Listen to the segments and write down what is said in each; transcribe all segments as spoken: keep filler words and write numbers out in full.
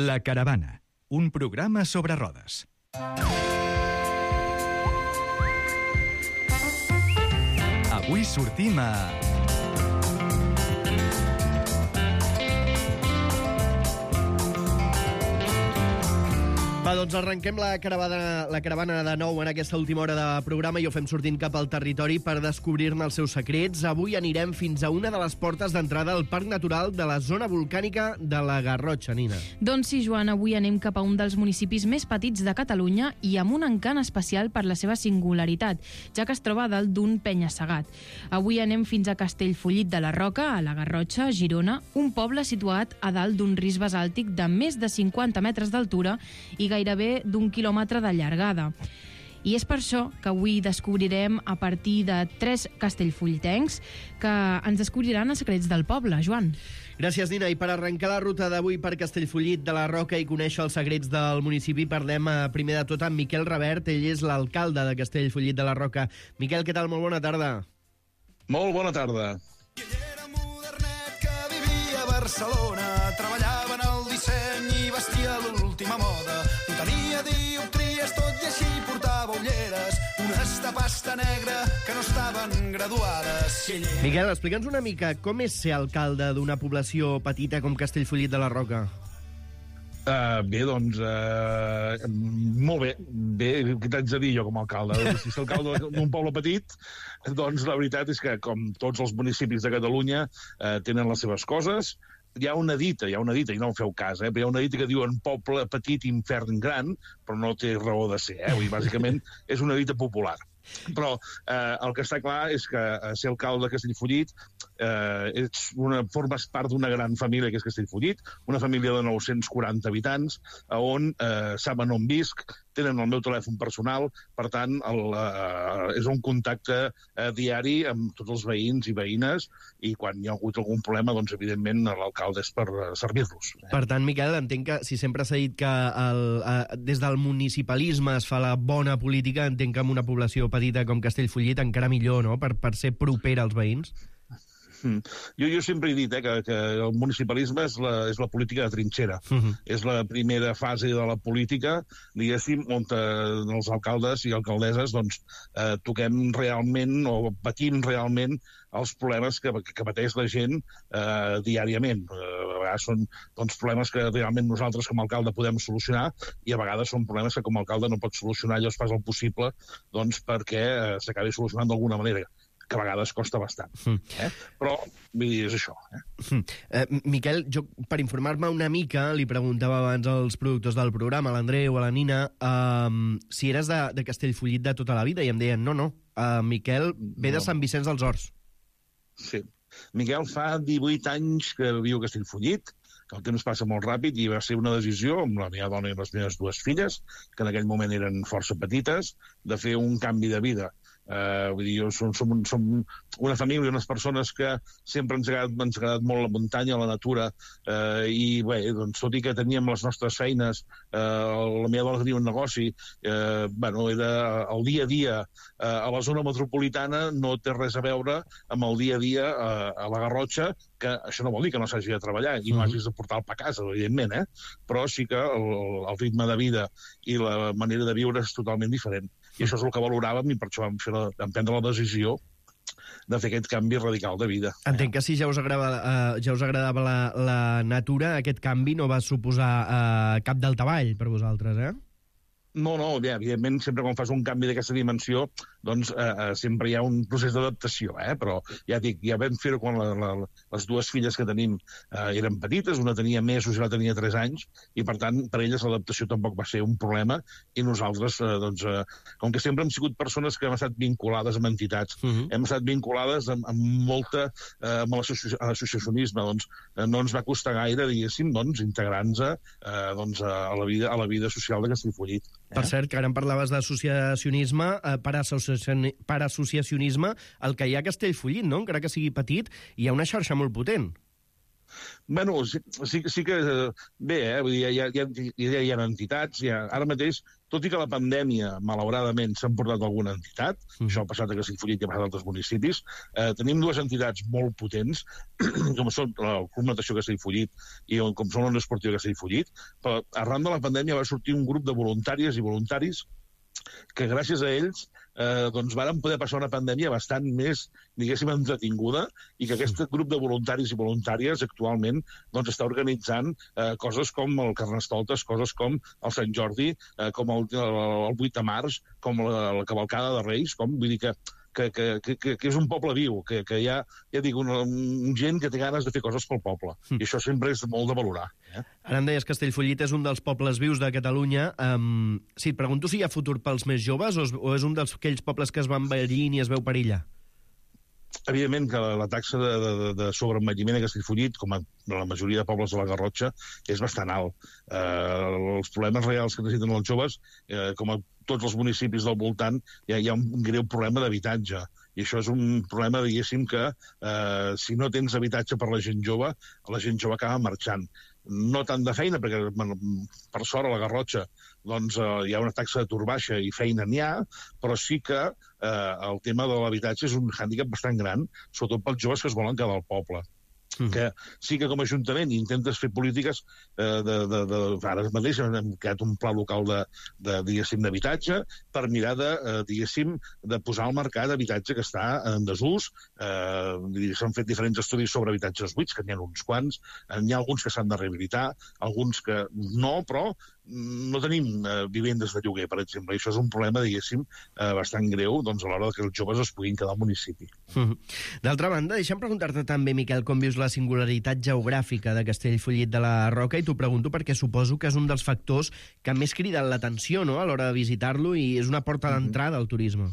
La Caravana, un programa sobre rodes. Avui sortim a... Va, doncs arrenquem la caravana, la caravana de nou en aquesta última hora de programa i ho fem sortint cap al territori per descobrir-ne els seus secrets. Avui anirem fins a una de les portes d'entrada al Parc Natural de la zona volcànica de la Garrotxa, Nina. Doncs sí, Joan, avui anem cap a un dels municipis més petits de Catalunya i amb un encant especial per la seva singularitat, ja que es troba dalt d'un penya-segat. Avui anem fins a Castellfollit de la Roca, a la Garrotxa, Girona, un poble situat a dalt d'un risc basàltic de més de cinquanta metres d'altura i gairebé d'un quilòmetre de llargada. I és per això que avui descobrirem a partir de tres castellfollitencs que ens descobriran els secrets del poble. Joan. Gràcies, Nina. I per arrencar la ruta d'avui per Castellfollit de la Roca i conèixer els secrets del municipi, parlem eh, primer de tot amb Miquel Revert. Ell és l'alcalde de Castellfollit de la Roca. Miquel, què tal? Molt bona tarda. Molt bona tarda. Ell era modernet que vivia a Barcelona, treballava en el disseny i vestia l'última moda. No tenia dioptries, tot i així portava ulleres, unes de pasta negra que no estaven graduades. Miquel, explica'ns una mica com és ser alcalde d'una població petita com Castellfollit de la Roca. Uh, bé, doncs, uh, molt bé. Bé, què t'haig de dir jo com a alcalde? Si ets alcalde d'un poble petit, doncs la veritat és que, com tots els municipis de Catalunya, uh, tenen les seves coses. Hi ha una dita, hi ha una dita, i no en feu cas, eh? Però hi ha una dita que diuen poble petit, infern gran, però no té raó de ser, eh? Vull dir, bàsicament és una dita popular. Però eh, el que està clar és que eh, ser alcalde de Castellfollit eh, ets una, formes part d'una gran família que és Castellfollit, una família de nou-cents quaranta habitants, on eh, saben on visc, tenen el meu telèfon personal, per tant, el, eh, és un contacte eh, diari amb tots els veïns i veïnes, i quan hi ha hagut algun problema, doncs, evidentment, l'alcalde és per eh, servir-los. Eh? Per tant, Miquel, entenc que si sempre s'ha dit que el, eh, des del municipalisme es fa la bona política, entenc que en una població petita com Castellfollit encara millor, no?, per, per ser propera als veïns. Mm. Jo, jo sempre he dit eh, que, que el municipalisme és la, és la política de trinxera. Uh-huh. És la primera fase de la política, diguéssim, on eh, els alcaldes i alcaldesses doncs, eh, toquem realment o patim realment els problemes que, que pateix la gent eh, diàriament. Eh, a vegades són doncs, problemes que realment nosaltres com a alcalde podem solucionar i a vegades són problemes que com a alcalde no pots solucionar, allò es fa el possible doncs, perquè eh, s'acabi solucionant d'alguna manera, que a vegades costa bastant. Mm. Eh? Però, vull dir, és això. Eh? Mm. Eh, Miquel, jo, per informar-me una mica, li preguntava abans als productors del programa, a l'Andreu, a la Nina, eh, si eres de, de Castellfollit de tota la vida, i em deien, no, no, eh, Miquel ve de Sant Vicenç dels Horts. Sí. Miquel fa divuit anys que viu a Castellfollit, que el temps passa molt ràpid, i va ser una decisió amb la meva dona i les meves dues filles, que en aquell moment eren força petites, de fer un canvi de vida. Uh, vull dir, som, som, som una família, unes persones que sempre ens ha agradat, ens ha agradat molt la muntanya, la natura, uh, i bé, doncs, tot i que teníem les nostres feines, uh, la meva dona tenia un negoci, uh, bueno, era el dia a dia uh, a la zona metropolitana no té res a veure amb el dia a dia uh, a la Garrotxa, que això no vol dir que no s'hagi de treballar i no hagis de portar el pa a casa, evidentment, eh? Però sí que el, el ritme de vida i la manera de viure és totalment diferent. I això és el que valoràvem i per això vam, fer la, vam prendre la decisió de fer aquest canvi radical de vida. Entenc que si ja us agradava, uh, ja us agradava la, la natura, aquest canvi no va suposar uh, cap daltavall per vosaltres, eh? No, no, bé, evidentment, sempre quan fas un canvi d'aquesta dimensió, doncs eh, eh, sempre hi ha un procés d'adaptació, eh? Però ja dic, ja vam fer-ho quan la, la, les dues filles que tenim eh, eren petites, una tenia mesos i la tenia tres anys, i per tant, per elles l'adaptació tampoc va ser un problema, i nosaltres, eh, doncs, eh, com que sempre hem sigut persones que hem estat vinculades amb entitats, uh-huh. hem estat vinculades amb, amb molta, eh, amb l'associacionisme, doncs eh, no ens va costar gaire, diguéssim, doncs, integrar-nos eh, doncs, a, la vida, a la vida social de Castellfollit. Per cert, que ara em parlaves d'associacionisme, eh, per, associacioni, per associacionisme, el que hi ha a Castellfollit, no? Encara que sigui petit, hi ha una xarxa molt potent. Bueno, sí, sí, sí que... Bé, eh? Vull dir, hi, ha, hi, ha, hi ha entitats, hi ha, ara mateix, tot i que la pandèmia, malauradament, s'ha portat alguna entitat, mm. això ha passat a Castellfollit i ha passat a altres municipis, eh, tenim dues entitats molt potents, com són el Club Natació Castellfollit i com són l'Unió Esportiva Castellfollit, però arran de la pandèmia va sortir un grup de voluntàries i voluntaris que gràcies a ells eh, doncs varen poder passar una pandèmia bastant més, diguéssim, entretinguda, i que aquest grup de voluntaris i voluntàries actualment doncs, està organitzant eh, coses com el Carnestoltes, coses com el Sant Jordi, eh, com el, el, el vuit de març, com la, la Cavalcada de Reis, com vull dir que Que, que, que, que és un poble viu, que, que hi ha, ja dic, una, un gent que té ganes de fer coses pel poble. Mm. I això sempre és molt de valorar. Eh? Ara em deies que Castellfollit és un dels pobles vius de Catalunya. Um, sí, et pregunto si hi ha futur pels més joves o és, o és un d'aquells pobles que es van envellint i es veu perillar? Evidentment que la, la taxa de, de, de sobreenvelliment a Castellfollit, com a la majoria de pobles de la Garrotxa, és bastant alt. Eh, els problemes reals que necessiten els joves, eh, com a tots els municipis del voltant, hi ha, hi ha un greu problema d'habitatge. I això és un problema, diguéssim, que eh, si no tens habitatge per la gent jove, la gent jove acaba marxant. No tant de feina, perquè per sort a la Garrotxa doncs, eh, hi ha una taxa d'atur baixa i feina n'hi ha, però sí que eh, el tema de l'habitatge és un hàndicap bastant gran, sobretot pels joves que es volen quedar al poble. Mm. Que sí que com a Ajuntament intentes fer polítiques eh, de, de, de, ara mateix hem creat un pla local de, de diguéssim, d'habitatge per mirar de, eh, diguéssim, de posar al mercat habitatge que està en desús. Eh, s'han fet diferents estudis sobre habitatges buits, que n'hi ha uns quants, n'hi ha alguns que s'han de rehabilitar, alguns que no, però no tenim eh, vivendes de lloguer, per exemple, i això és un problema, diguéssim, eh, bastant greu doncs, a l'hora que els joves es puguin quedar al municipi. Mm. D'altra banda, deixa'm preguntar-te també, Miquel, com vius la singularitat geogràfica de Castellfollit de la Roca, i t'ho pregunto perquè suposo que és un dels factors que més criden l'atenció, no?, a l'hora de visitar-lo, i és una porta d'entrada al turisme.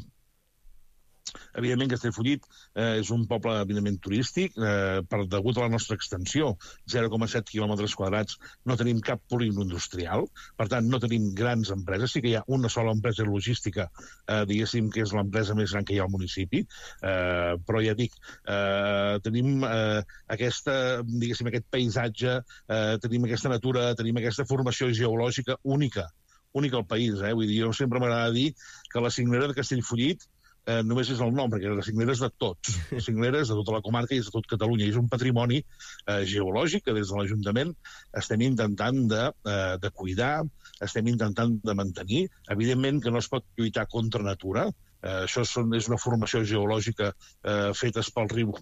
Evidentment, Castellfollit eh, és un poble evidentment turístic, eh, per degut a la nostra extensió, zero coma set quilòmetres quadrats, no tenim cap polígon industrial, per tant, no tenim grans empreses, sí que hi ha una sola empresa logística, eh, diguéssim que és l'empresa més gran que hi ha al municipi, eh, però ja dic, eh, tenim eh, aquesta, diguéssim, aquest paisatge, eh, tenim aquesta natura, tenim aquesta formació geològica única, única al país, eh? Vull dir, jo sempre m'agrada dir que la cinglera de Castellfollit Eh, només és el nom, perquè la cinglera és de tots. La cinglera és de tota la comarca i és de tot Catalunya. I és un patrimoni eh, geològic que des de l'Ajuntament estem intentant de, eh, de cuidar, estem intentant de mantenir. Evidentment que no es pot lluitar contra natura. Eh, això són, és una formació geològica eh, fetes pel riu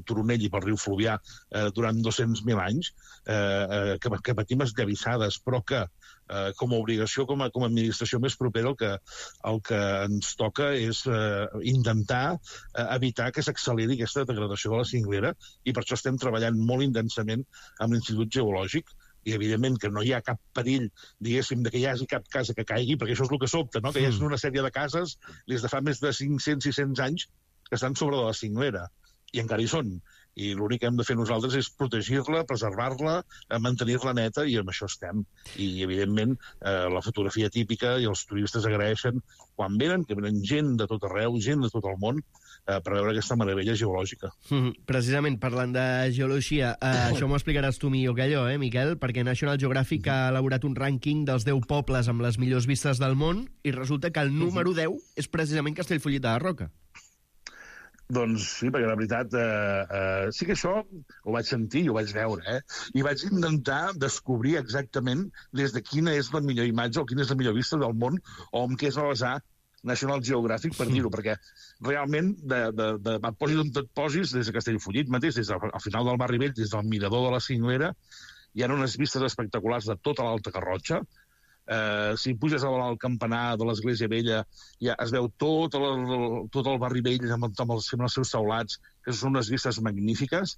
Turonell i pel riu Fluvià eh, durant dos-cents mil anys, eh, eh, que, que patim esllavissades, però que eh, com a obligació, com a, com a administració més propera, el que, el que ens toca és eh, intentar eh, evitar que s'acceleri aquesta degradació de la cinglera, i per això estem treballant molt intensament amb l'Institut Geològic, i evidentment que no hi ha cap perill, diguéssim, de que hi hagi cap casa que caigui, perquè això és el que sobta, no? Que hi ha una sèrie de cases des de fa més de cinc-cents sis cents anys que estan sobre de la cinglera, i encara hi són. I l'únic que hem de fer nosaltres és protegir-la, preservar-la, mantenir-la neta, i amb això estem. I, evidentment, eh, la fotografia típica i els turistes agraeixen quan venen, que venen gent de tot arreu, gent de tot el món, eh, per veure aquesta meravella geològica. Mm, precisament, parlant de geologia, eh, això m'ho explicaràs tu millor que allò, eh, Miquel? Perquè National Geographic ha elaborat un rànquing dels deu pobles amb les millors vistes del món, i resulta que el número deu és precisament Castellfollit de la Roca. Doncs sí, perquè la veritat, eh, eh, sí que això ho vaig sentir i ho vaig veure, eh? I vaig intentar descobrir exactament des de quina és la millor imatge o quina és la millor vista del món, o amb què es va basar National Geographic per dir-ho, perquè realment, de, de, de, de posis on et posis, des de Castellfollit mateix, des del, al final del barri vell, des del mirador de la Cinglera, hi ha unes vistes espectaculars de tota l'Alta Garrotxa. Eh, si puges al campanar de l'Església Vella, ja es veu tot el, tot el barri vell amb, amb, els, amb els seus teulats, que són unes vistes magnífiques.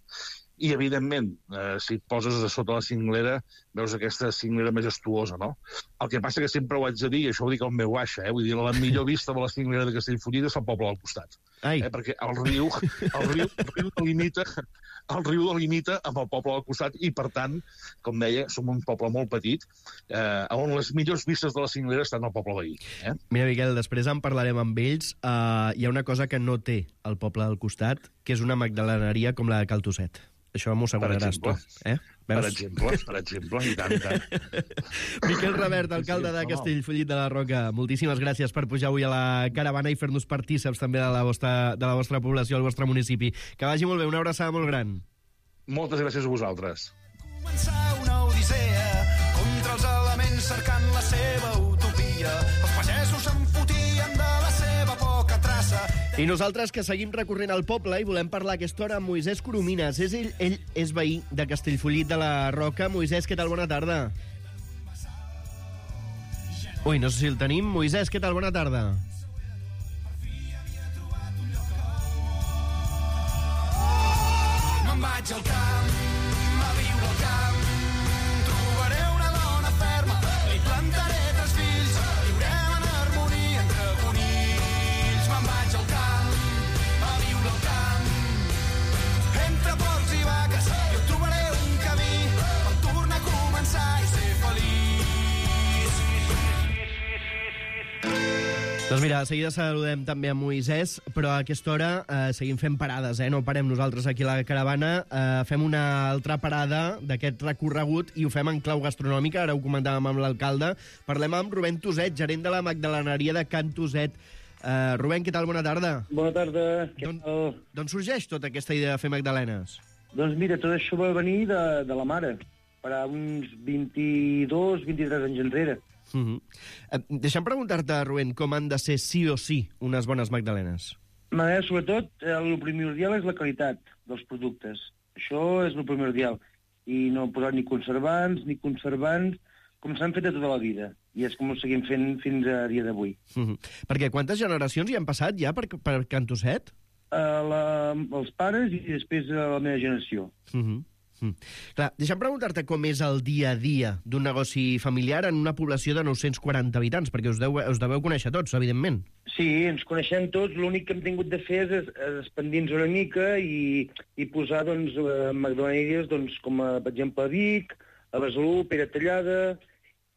I, evidentment, eh, si et poses a sota la cinglera, veus aquesta cinglera majestuosa, no? El que passa que sempre ho haig de dir, i això ho dic al meu baixa, eh? Vull dir, la millor vista de la cinglera de Castellfollit és el poble al costat. Eh? Perquè el riu, el riu, el riu delimita, el riu delimita amb el poble al costat, i, per tant, com deia, som un poble molt petit, eh, on les millors vistes de la cinglera estan al poble veí. Eh? Mira, Miquel, després en parlarem amb ells. Uh, hi ha una cosa que no té el poble del costat, que és una magdaleneria com la de Cal Tosset. Això m'ho asseguraràs tu. Eh? Per exemple, per exemple, i tant, i tant. Miquel Revert, alcalde Sí, de no. Castellfollit de la Roca, moltíssimes gràcies per pujar avui a la caravana i fer-nos partíceps també de la vostra, de la vostra població, al vostre municipi. Que vagi molt bé, una abraçada molt gran. Moltes gràcies a vosaltres. Començar una odissea contra els elements cercant la seva utopia. Els pagesos s'enfotien de la seva poca traça. I nosaltres que seguim recorrent el poble i volem parlar aquesta hora amb Moisès Coromines. És ell, ell és veí de Castellfollit de la Roca. Moisès, què tal? Bona tarda. Ui, no sé si el tenim. Moisès, què tal? Bona tarda. Me'n vaig al camp, a viure al camp. Trobaré una dona ferma, li plantaré tres fills. Viurem en harmonia entre conills. Me'n vaig al camp, a viure al camp. Entre porcs i vaques, jo trobaré un camí per tornar a començar i ser feliç. Doncs mira, de seguida saludem també a Moisès, però a aquesta hora eh, seguim fent parades, eh? No parem nosaltres aquí a la caravana, eh, fem una altra parada d'aquest recorregut i ho fem en clau gastronòmica, ara ho comentàvem amb l'alcalde. Parlem amb Rubén Tuset, gerent de la magdaleneria de Can Tuset. Eh, Rubén, què tal? Bona tarda. Bona tarda. Què D'on tal? d'on sorgeix tota aquesta idea de fer magdalenes? Doncs mira, tot això va venir de, de la mare, per a uns vint-i-dos, vint-i-tres anys enrere. Uh -huh. eh, deixa'm preguntar-te, Rubén, com han de ser sí o sí unes bones magdalenes? Ma, sobretot, eh, el primordial és la qualitat dels productes. Això és el primordial. I no posar ni conservants, ni conservants, com s'han fet de tota la vida. I és com ho seguim fent fins a dia d'avui. Uh -huh. Perquè quantes generacions hi han passat ja per, per Can Tuset? Uh, la, els pares i després uh, la meva generació. Uh -huh. Mm. Clar, deixa'm preguntar-te com és el dia a dia d'un negoci familiar en una població de nou-cents quaranta habitants, perquè us, deu, us deveu conèixer tots, evidentment. Sí, ens coneixem tots. L'únic que hem tingut de fer és, és expandir-nos una mica i, i posar doncs, eh, magdaleneries doncs, com a, per exemple, a Vic, a Besalú, Pere Tallada,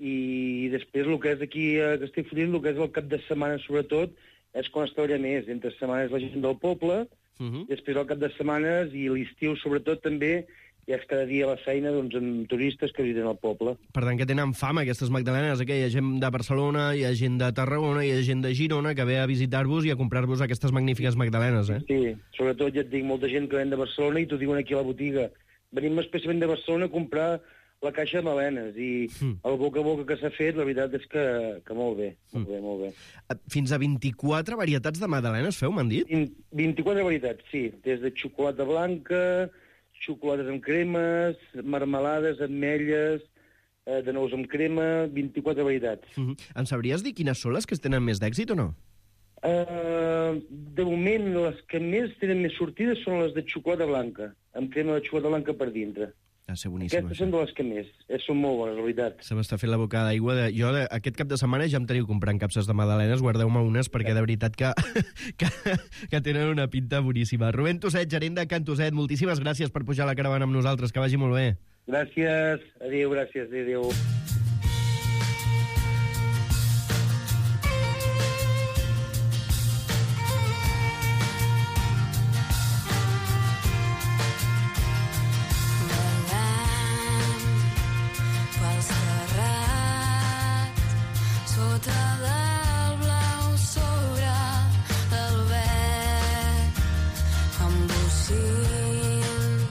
i després el que és aquí a Castellfollit, el que és el cap de setmana sobretot, és quan es treballa més. Entre setmanes la gent del poble, Uh -huh. després el cap de setmanes i l'estiu sobretot també, ja és cada dia a la feina doncs, amb turistes que visiten el poble. Per tant, que tenen fama aquestes magdalenes, que hi ha gent de Barcelona, hi ha gent de Tarragona, hi ha gent de Girona que ve a visitar-vos i a comprar-vos aquestes magnífiques magdalenes, eh? Sí, sobretot ja et dic, molta gent que ven de Barcelona i t'ho diuen aquí a la botiga. Venim especialment de Barcelona a comprar la caixa de magdalenes i Mm. el boca a boca que s'ha fet, la veritat és que, que molt bé, molt bé, molt bé. Fins a vint-i-quatre varietats de magdalenes feu, m'han dit? vint- vint-i-quatre varietats, sí, des de xocolata blanca, xocolates amb cremes, marmelades, ametlles, eh, de nous amb crema, vint-i-quatre varietats. Uh -huh. En sabries dir quines són les que tenen més d'èxit o no? Uh, de moment, les que més tenen més sortides són les de xocolata blanca, amb crema de xocolata blanca per dintre. Ha ser boníssim. Aquestes són de les que més. Eh, són molt bones, la veritat. Se m'està fent la boca d'aigua. De... Jo de... aquest cap de setmana ja em teniu comprant capses de magdalenes, guardeu-me unes, perquè de veritat que, que, que tenen una pinta boníssima. Rubén Tuset, gerent de Can Tuset, moltíssimes gràcies per pujar a la caravana amb nosaltres, que vagi molt bé. Gràcies, adéu, gràcies, adéu. Pels terrats, sota del blau sobre el verd, amb bocins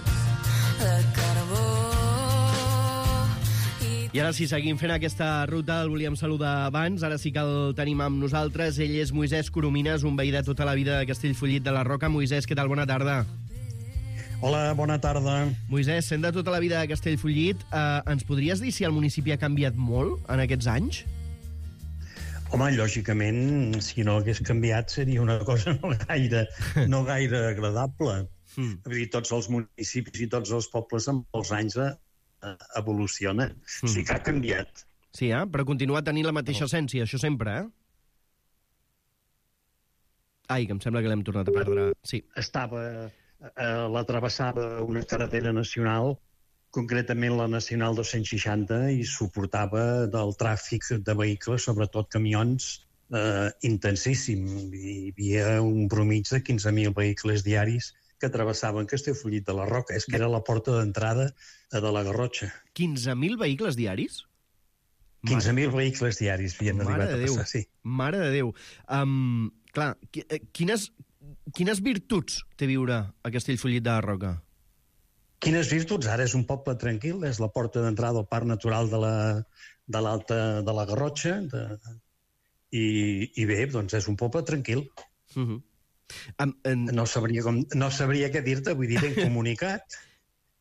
de carbó. I ara sí, seguim fent aquesta ruta, el volíem saludar abans, ara sí que el tenim amb nosaltres. Ell és Moisès Coromines, un veí de tota la vida de Castellfollit de la Roca. Moisès, què tal? Bona tarda. Hola, bona tarda. Moisès, sent de tota la vida de Castellfollit, eh, ens podries dir si el municipi ha canviat molt en aquests anys? Home, lògicament, si no hagués canviat seria una cosa no gaire, no gaire agradable. Mm. Vull dir, tots els municipis i tots els pobles amb els anys eh, evolucionen. Mm. Sí que ha canviat. Sí, eh? Però continua tenint la mateixa essència, això sempre, eh? Ai, que em sembla que l'hem tornat a perdre. Sí. Estava, eh, la travessava una carretera nacional, concretament la Nacional dos-cents seixanta, i suportava del tràfic de vehicles, sobretot camions, eh, intensíssim. Hi havia un promig de quinze mil vehicles diaris que travessaven Castellfollit de la Roca. És que era la porta d'entrada de la Garrotxa. quinze mil vehicles diaris? quinze mil vehicles diaris havien Mare arribat de a Déu. passar, sí. Mare de Déu. Um, clar, qui- eh, quines, quines virtuts té viure a Castellfollit de la Roca? Quines virtuts? Ara és un poble tranquil, és la porta d'entrada al Parc Natural de la, de l'Alta de la Garrotxa, de, i, i bé, doncs és un poble tranquil. Uh -huh. um, en... No sabria, com, no sabria què dir-te, vull dir, ben comunicat,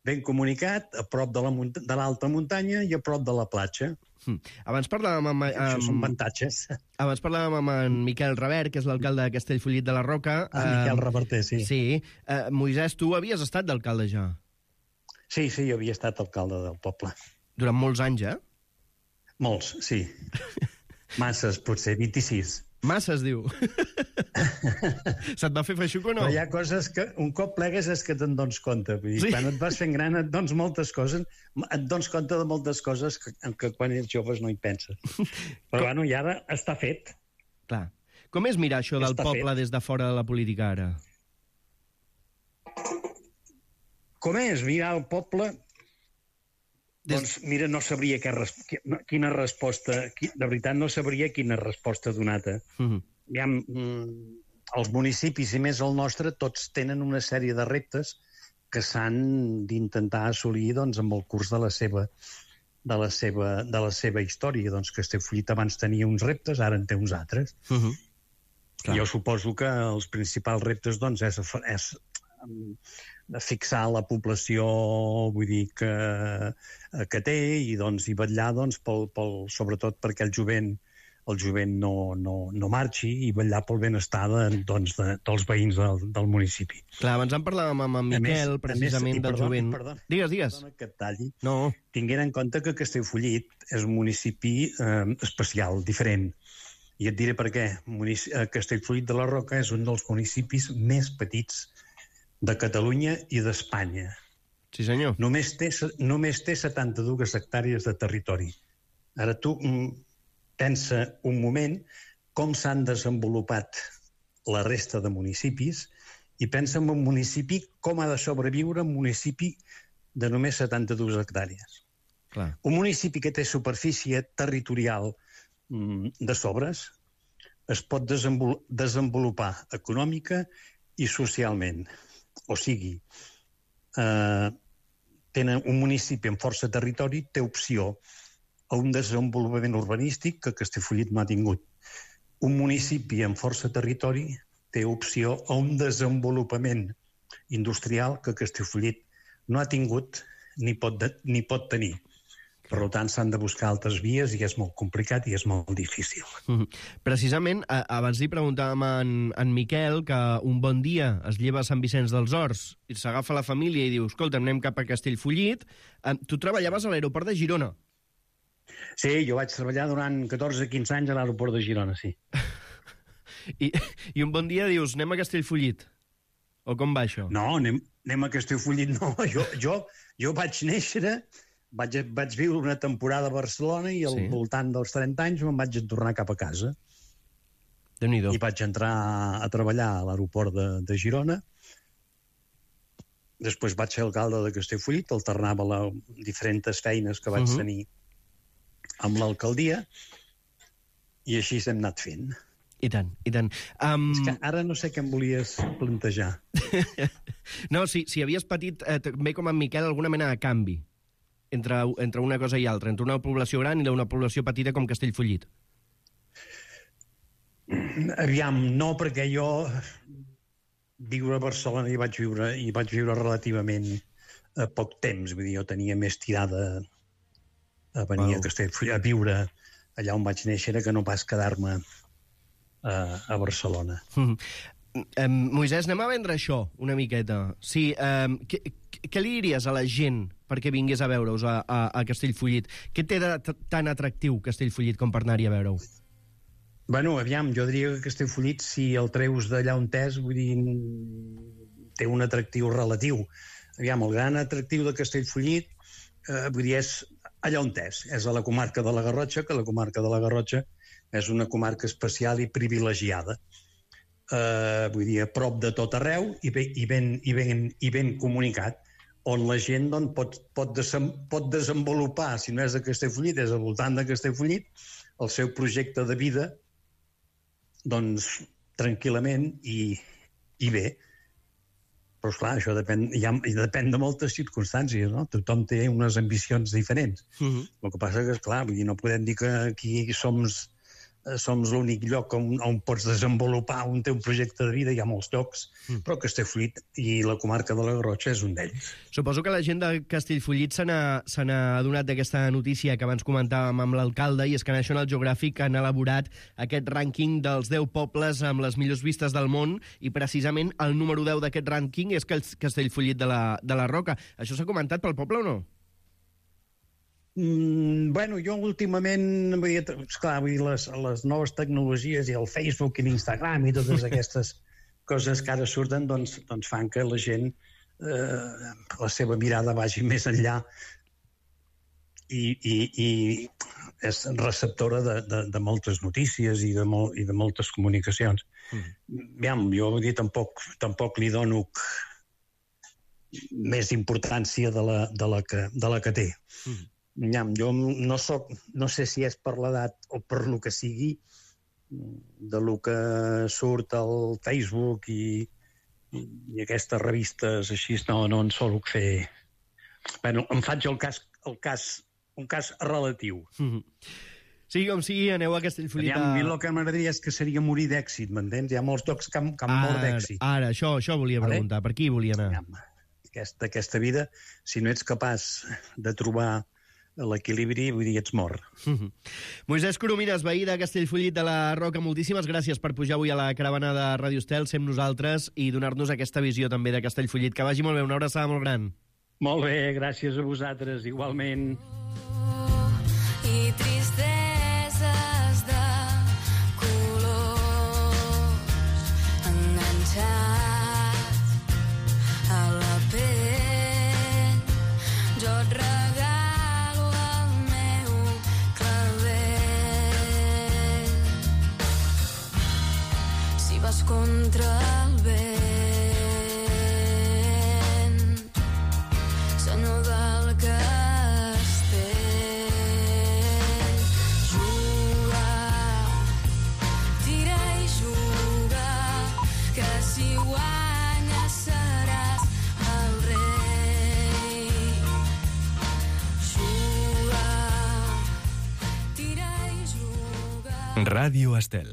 ben comunicat, a prop de la munt- de l'alta muntanya i a prop de la platja. Hm. Abans parlàvem amb, Això són amb, avantatges. abans parlàvem amb en Miquel Revert, que és l'alcalde de Castellfollit de la Roca. Ah, Miquel Eh, Reverter, sí. Sí. Uh, Moisès, tu havies estat d'alcalde ja? Sí, sí, jo havia estat alcalde del poble. Durant molts anys, eh? Molts, sí. Masses, potser vint-i-sis. Massa, es diu. Se't va fer feixuc o no? Però hi ha coses que un cop plegues és que te'n dones compte. Vull dir, Sí. quan et vas fent gran et dones moltes coses, et dones compte de moltes coses que, que quan ets joves no hi penses. Però bueno, i ara està fet. Clar. Com és mirar això del Està poble fet. des de fora de la política ara? Com és mirar el poble? Des- Doncs mira, no sabria què, res- qui- no, quina resposta... qui- De veritat, no sabria quina resposta donar-te. Uh -huh. Aviam, mm, els municipis, i més el nostre, tots tenen una sèrie de reptes que s'han d'intentar assolir doncs, amb el curs de la seva de la seva, de la seva història. Doncs Castellfollit abans tenia uns reptes, ara en té uns altres. Uh -huh. Clar. Jo suposo que els principals reptes doncs, és, és mm, fixar la població, vull dir, que, que té i, doncs, i vetllar doncs, pel, pel, sobretot perquè el jovent el jovent no, no, no marxi i vetllar pel benestar de, doncs, de, dels veïns del, del municipi. Clar, abans en parlàvem amb en A més- Miquel, a més, precisament, i del perdó, jovent. i perdó. Digues, digues. Perdona que et talli. No. Tinguent en compte que Castellfollit és un municipi eh, especial, diferent. I et diré per què. Munici eh, Castellfollit de la Roca és un dels municipis més petits de Catalunya i d'Espanya. Sí, senyor. Només té, se- només té setanta-dues hectàrees de territori. Ara tu mm, pensa un moment com s'han desenvolupat la resta de municipis i pensa en un municipi com ha de sobreviure un municipi de només setanta-dues hectàrees. Clar. Un municipi que té superfície territorial mm, de sobres es pot desenvol desenvolupar econòmica i socialment. O sigui, eh, tenen un municipi amb força territori, té opció a un desenvolupament urbanístic que Castellfollit no ha tingut. Un municipi amb força territori té opció a un desenvolupament industrial que Castellfollit no ha tingut ni pot, de, ni pot tenir. Per tant, s'han de buscar altres vies i és molt complicat i és molt difícil. Mhm. Precisament, a, abans li preguntàvem a en, en Miquel que un bon dia es lleva a Sant Vicenç dels Horts i s'agafa la família i diu, escolta, anem cap a Castellfollit. Eh, tu treballaves a l'aeroport de Girona. Sí, jo vaig treballar durant catorze quinze anys a l'aeroport de Girona, sí. I, I un bon dia dius, anem a Castellfollit. O com va això? No, anem, anem a Castellfollit, no. Jo, jo, jo vaig néixer, vaig, vaig viure una temporada a Barcelona i al Sí. sí. voltant dels trenta anys me'n vaig tornar cap a casa. Déu-n'hi-do. I vaig entrar a treballar a l'aeroport de, de Girona. Després vaig ser alcalde de Castellfollit, alternava les diferents feines que vaig Mhm. uh -huh. tenir amb l'alcaldia, i així hem anat fent. I tant, i tant. Um... És que ara no sé què em volies plantejar. No, si, si havies patit, eh, també com en Miquel, alguna mena de canvi entre, entre una cosa i altra, entre una població gran i una població petita com Castellfollit. Aviam, no, perquè jo viure a Barcelona i vaig viure, i vaig viure relativament a poc temps. Vull dir, jo tenia més tirada a venir Wow. a Castellfollit, a viure allà on vaig néixer, que no pas quedar-me a, a Barcelona. Mm. Um, Moisès, anem a vendre això una miqueta. Sí, um, què, què li diries a la gent perquè vingués a veure-us a, a, a Castellfollit? Què té de t- tan atractiu Castellfollit com per anar-hi a veure-ho? Bueno, aviam, jo diria que Castellfollit, si el treus d'allà on és, vull dir, té un atractiu relatiu. Aviam, el gran atractiu de Castellfollit, eh, vull dir, és allà on és. És a la comarca de la Garrotxa, que la comarca de la Garrotxa és una comarca especial i privilegiada. eh, vull dir, a prop de tot arreu i ben, i ben, i ben, i ben comunicat, on la gent doncs, pot, pot, desem, pot desenvolupar, si no és de Castellfollit, és al voltant de Castellfollit, el seu projecte de vida doncs, tranquil·lament i, i bé. Però, esclar, això depèn, ja, depèn de moltes circumstàncies, no? Tothom té unes ambicions diferents. Uh-huh. El que passa que, esclar, vull dir, no podem dir que aquí som, som l'únic lloc on, on pots desenvolupar un teu projecte de vida. Hi ha molts llocs, uh-huh. però Castellfollit i la comarca de la Garrotxa és un d'ells. Suposo que la gent de Castellfollit se n'ha adonat d'aquesta notícia que abans comentàvem amb l'alcalde, i és que National Geographic han elaborat aquest rànquing dels deu pobles amb les millors vistes del món, i precisament el número deu d'aquest rànquing és Castellfollit de la, de la Roca. Això s'ha comentat pel poble o no? Mm, bueno, jo últimament, vull dir, esclar, vull dir, les, les noves tecnologies i el Facebook i l'Instagram i totes aquestes coses que ara surten, doncs, doncs fan que la gent, eh, la seva mirada vagi més enllà i, i, i és receptora de, de, de moltes notícies i de, mol, i de moltes comunicacions. Mm. Aviam, jo vull dir, tampoc, tampoc li dono més importància de la, de la, que, de la que té. Mm. Jo no, soc, no sé si és per l'edat o per lo que sigui, de lo que surt al Facebook i, i aquestes revistes així, no, no en sóc fer... Bueno, em faig el cas, el cas, un cas relatiu. Mm-hmm. Sí, com sigui, aneu a Castellfollit. A mi el que m'agradaria és que seria morir d'èxit, m'entens? Hi ha molts llocs que han, que han mort d'èxit. Ara, això, això volia preguntar. Vale? Per qui volia anar? Aquesta, aquesta vida, si no ets capaç de trobar l'equilibri, vull dir, ets mort. Mm-hmm. Moisès Coromines, veí de Castellfollit de la Roca, moltíssimes gràcies per pujar avui a la caravana de Ràdio Estel, ser amb nosaltres i donar-nos aquesta visió també de Castellfollit. Que vagi molt bé, una abraçada molt gran. Molt bé, gràcies a vosaltres, igualment. I tristeses de colors enganxats a la pell. Jo et regalo el meu clavell. Si vas contra el vent, senyor del castell, juga, tira i juga, que si guanyes seràs el rei. Juga, tira i juga. Ràdio Estel.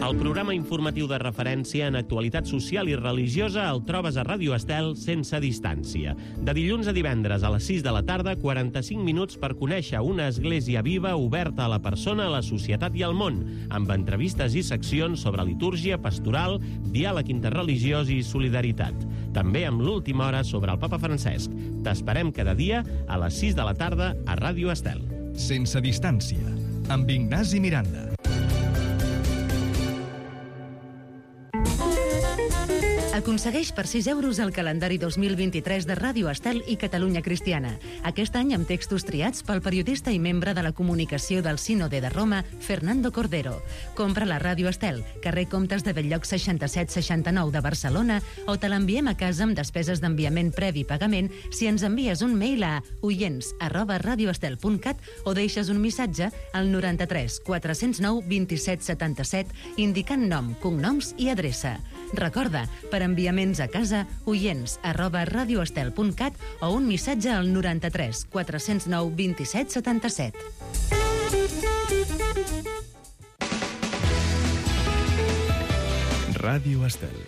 El programa informatiu de referència en actualitat social i religiosa el trobes a Ràdio Estel sense distància. De dilluns a divendres a les sis de la tarda, quaranta-cinc minuts per conèixer una església viva oberta a la persona, a la societat i al món, amb entrevistes i seccions sobre litúrgia, pastoral, diàleg interreligiós i solidaritat. També amb l'última hora sobre el Papa Francesc. T'esperem cada dia a les sis de la tarda a Ràdio Estel. Sense distància, amb Ignasi Miranda. Aconsegueix per sis euros el calendari dos mil vint-i-tres de Ràdio Estel i Catalunya Cristiana. Aquest any amb textos triats pel periodista i membre de la comunicació del Sínode de Roma, Fernando Cordero. Compra la Ràdio Estel, carrer Comtes de Belllloc seixanta-set seixanta-nou de Barcelona, o te l'enviem a casa amb despeses d'enviament previ pagament si ens envies un mail a oients arroba radioestel punt cat o deixes un missatge al noranta-tres quatre-cents nou vint-i-set setanta-set indicant nom, cognoms i adreça. Recorda, per enviaments a casa, oients arroba radioestel punt cat o un missatge al noranta-tres quatre-cents nou vint-i-set setanta-set. Ràdio Estel.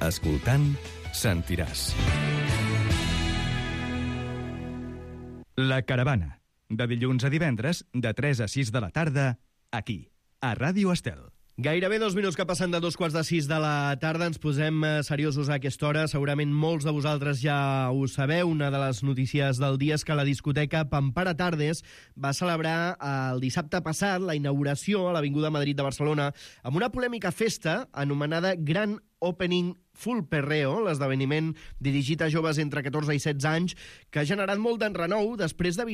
Escoltant, sentiràs. La Caravana. De dilluns a divendres, de tres a sis de la tarda, aquí, a Ràdio Estel. Gairebé dos minuts que passen de dos quarts de sis de la tarda. Ens posem seriosos a aquesta hora. Segurament molts de vosaltres ja ho sabeu. Una de les notícies del dia és que la discoteca Pampara Tardes va celebrar el dissabte passat la inauguració a l'Avinguda Madrid de Barcelona amb una polèmica festa anomenada Gran Opening Full Perreo, l'esdeveniment dirigit a joves entre catorze i setze anys, que ha generat molt d'enrenou després de,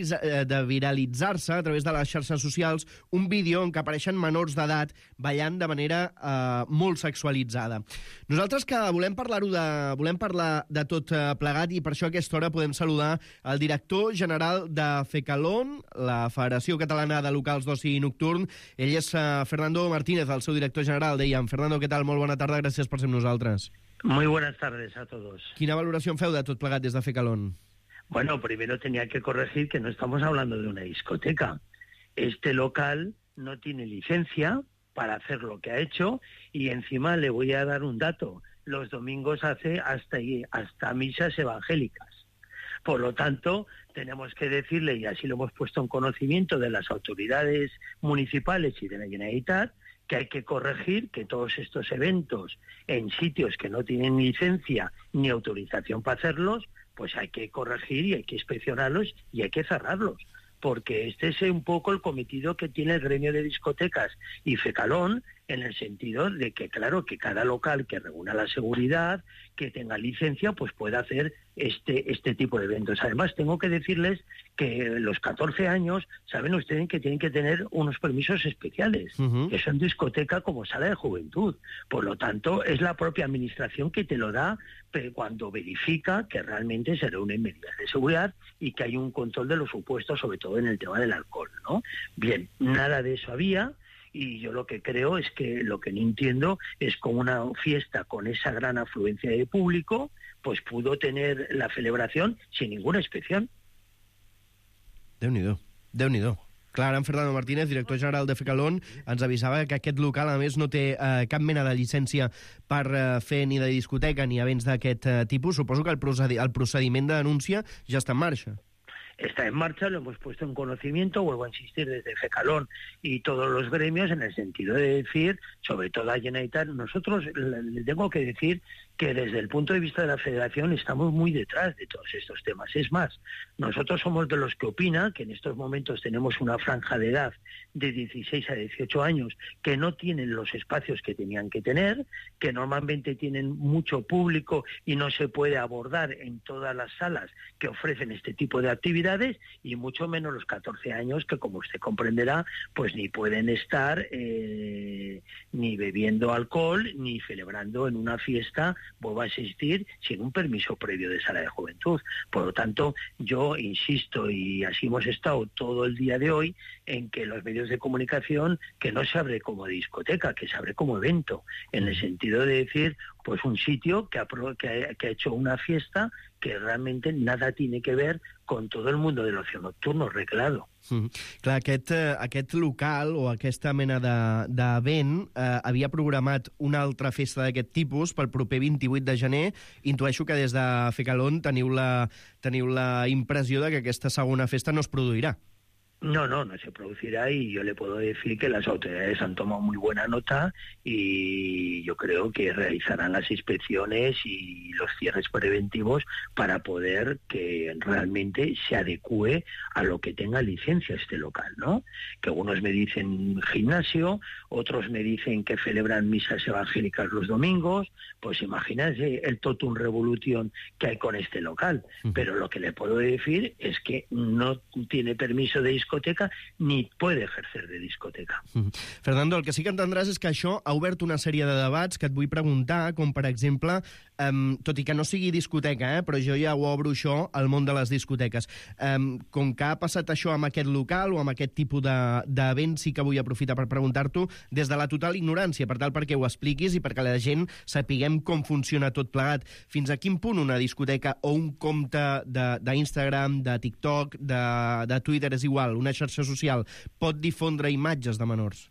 de viralitzar-se a través de les xarxes socials un vídeo en què apareixen menors d'edat ballant de manera eh, molt sexualitzada. Nosaltres que volem parlar-ho de, volem parlar de tot eh, plegat i per això a aquesta hora podem saludar el director general de FECALON, la Federació Catalana de Locals d'Oci Nocturn. Ell és eh, Fernando Martínez, el seu director general, dèiem. Fernando, què tal? Molt bona tarda, gràcies per ser amb nosaltres. Muy buenas tardes a todos. Quina valoració en feu de tot plegat des de FECALON? Bueno, primero tenía que corregir que no estamos hablando de una discoteca. Este local no tiene licencia para hacer lo que ha hecho y encima le voy a dar un dato. Los domingos hace hasta, hasta misas evangélicas. Por lo tanto, tenemos que decirle, y así lo hemos puesto en conocimiento de las autoridades municipales y de la Generalitat, que hay que corregir que todos estos eventos en sitios que no tienen licencia ni autorización para hacerlos, pues hay que corregir y hay que inspeccionarlos y hay que cerrarlos. Porque este es un poco el cometido que tiene el gremio de discotecas y FECALON, en el sentido de que, claro, que cada local que reúna la seguridad, que tenga licencia, pues pueda hacer este, este tipo de eventos. Además, tengo que decirles que los catorce años, saben ustedes que tienen que tener unos permisos especiales, uh-huh. que son discoteca como sala de juventud. Por lo tanto, es la propia administración que te lo da cuando verifica que realmente se reúnen medidas de seguridad y que hay un control de los supuestos, sobre todo en el tema del alcohol, ¿no? Bien, nada de eso había. Y yo lo que creo es que lo que no entiendo es cómo una fiesta con esa gran afluencia de público pues pudo tener la celebración sin ninguna inspección. Déu-n'hi-do, Déu-n'hi-do. Clar, en Fernando Martínez, director general de FECALON, ens avisava que aquest local, a més, no té eh, cap mena de llicència per eh, fer ni de discoteca ni events d'aquest eh, tipus. Suposo que el, procedi el procediment de denúncia ja està en marxa. Está en marcha, lo hemos puesto en conocimiento, vuelvo a insistir, desde FECALON y todos los gremios, en el sentido de decir, sobre todo a Generalitat, nosotros le tengo que decir que desde el punto de vista de la Federación estamos muy detrás de todos estos temas. Es más, nosotros somos de los que opinan que en estos momentos tenemos una franja de edad de dieciséis a dieciocho años que no tienen los espacios que tenían que tener, que normalmente tienen mucho público y no se puede abordar en todas las salas que ofrecen este tipo de actividades, y mucho menos los catorce años que, como usted comprenderá, pues ni pueden estar eh, ni bebiendo alcohol ni celebrando en una fiesta, vuelvo a insistir, sin un permiso previo de sala de juventud. Por lo tanto, yo insisto, y así hemos estado todo el día de hoy, en que los medios de comunicación, que no se abre como discoteca, que se abre como evento, en el sentido de decir, pues un sitio que ha, que ha, que ha hecho una fiesta que realmente nada tiene que ver con todo el mundo del ocio nocturno reglado. Mm. Clar, aquest, eh, aquest local o aquesta mena d'event de, eh, havia programat una altra festa d'aquest tipus pel proper vint-i-vuit de gener. Intueixo que des de FECALON teniu la, teniu la impressió de que aquesta segona festa no es produirà. No, no, no se producirá, y yo le puedo decir que las autoridades han tomado muy buena nota y yo creo que realizarán las inspecciones y los cierres preventivos para poder que realmente se adecue a lo que tenga licencia este local, ¿no? Que algunos me dicen gimnasio, otros me dicen que celebran misas evangélicas los domingos. Pues imagínense el totum revolution que hay con este local. Uh-huh. Pero lo que le puedo decir es que no tiene permiso de discoteca ni puede ejercer de discoteca. Mm. Fernando, el que sí que entendràs és que això ha obert una sèrie de debats que et vull preguntar, com per exemple, um, tot i que no sigui discoteca, eh, però jo ja ho obro això al món de les discoteques. Um, com que ha passat això amb aquest local o amb aquest tipus d'event, de, sí que vull aprofitar per preguntar-t'ho des de la total ignorància, per tal perquè ho expliquis i perquè la gent sapiguem com funciona tot plegat. Fins a quin punt una discoteca o un compte d'Instagram, de, de TikTok, de, de Twitter, és igual, una xarxa social, pot difondre imatges de menors?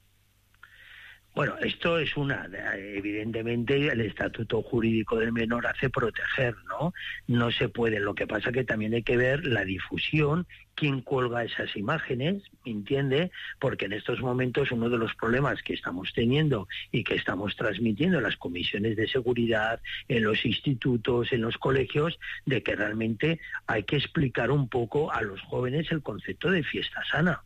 Bueno, esto es una, evidentemente el estatuto jurídico del menor hace proteger, ¿no? No se puede, lo que pasa que también hay que ver la difusión, quién cuelga esas imágenes, ¿me entiende? Porque en estos momentos uno de los problemas que estamos teniendo y que estamos transmitiendo en las comisiones de seguridad, en los institutos, en los colegios, de que realmente hay que explicar un poco a los jóvenes el concepto de fiesta sana,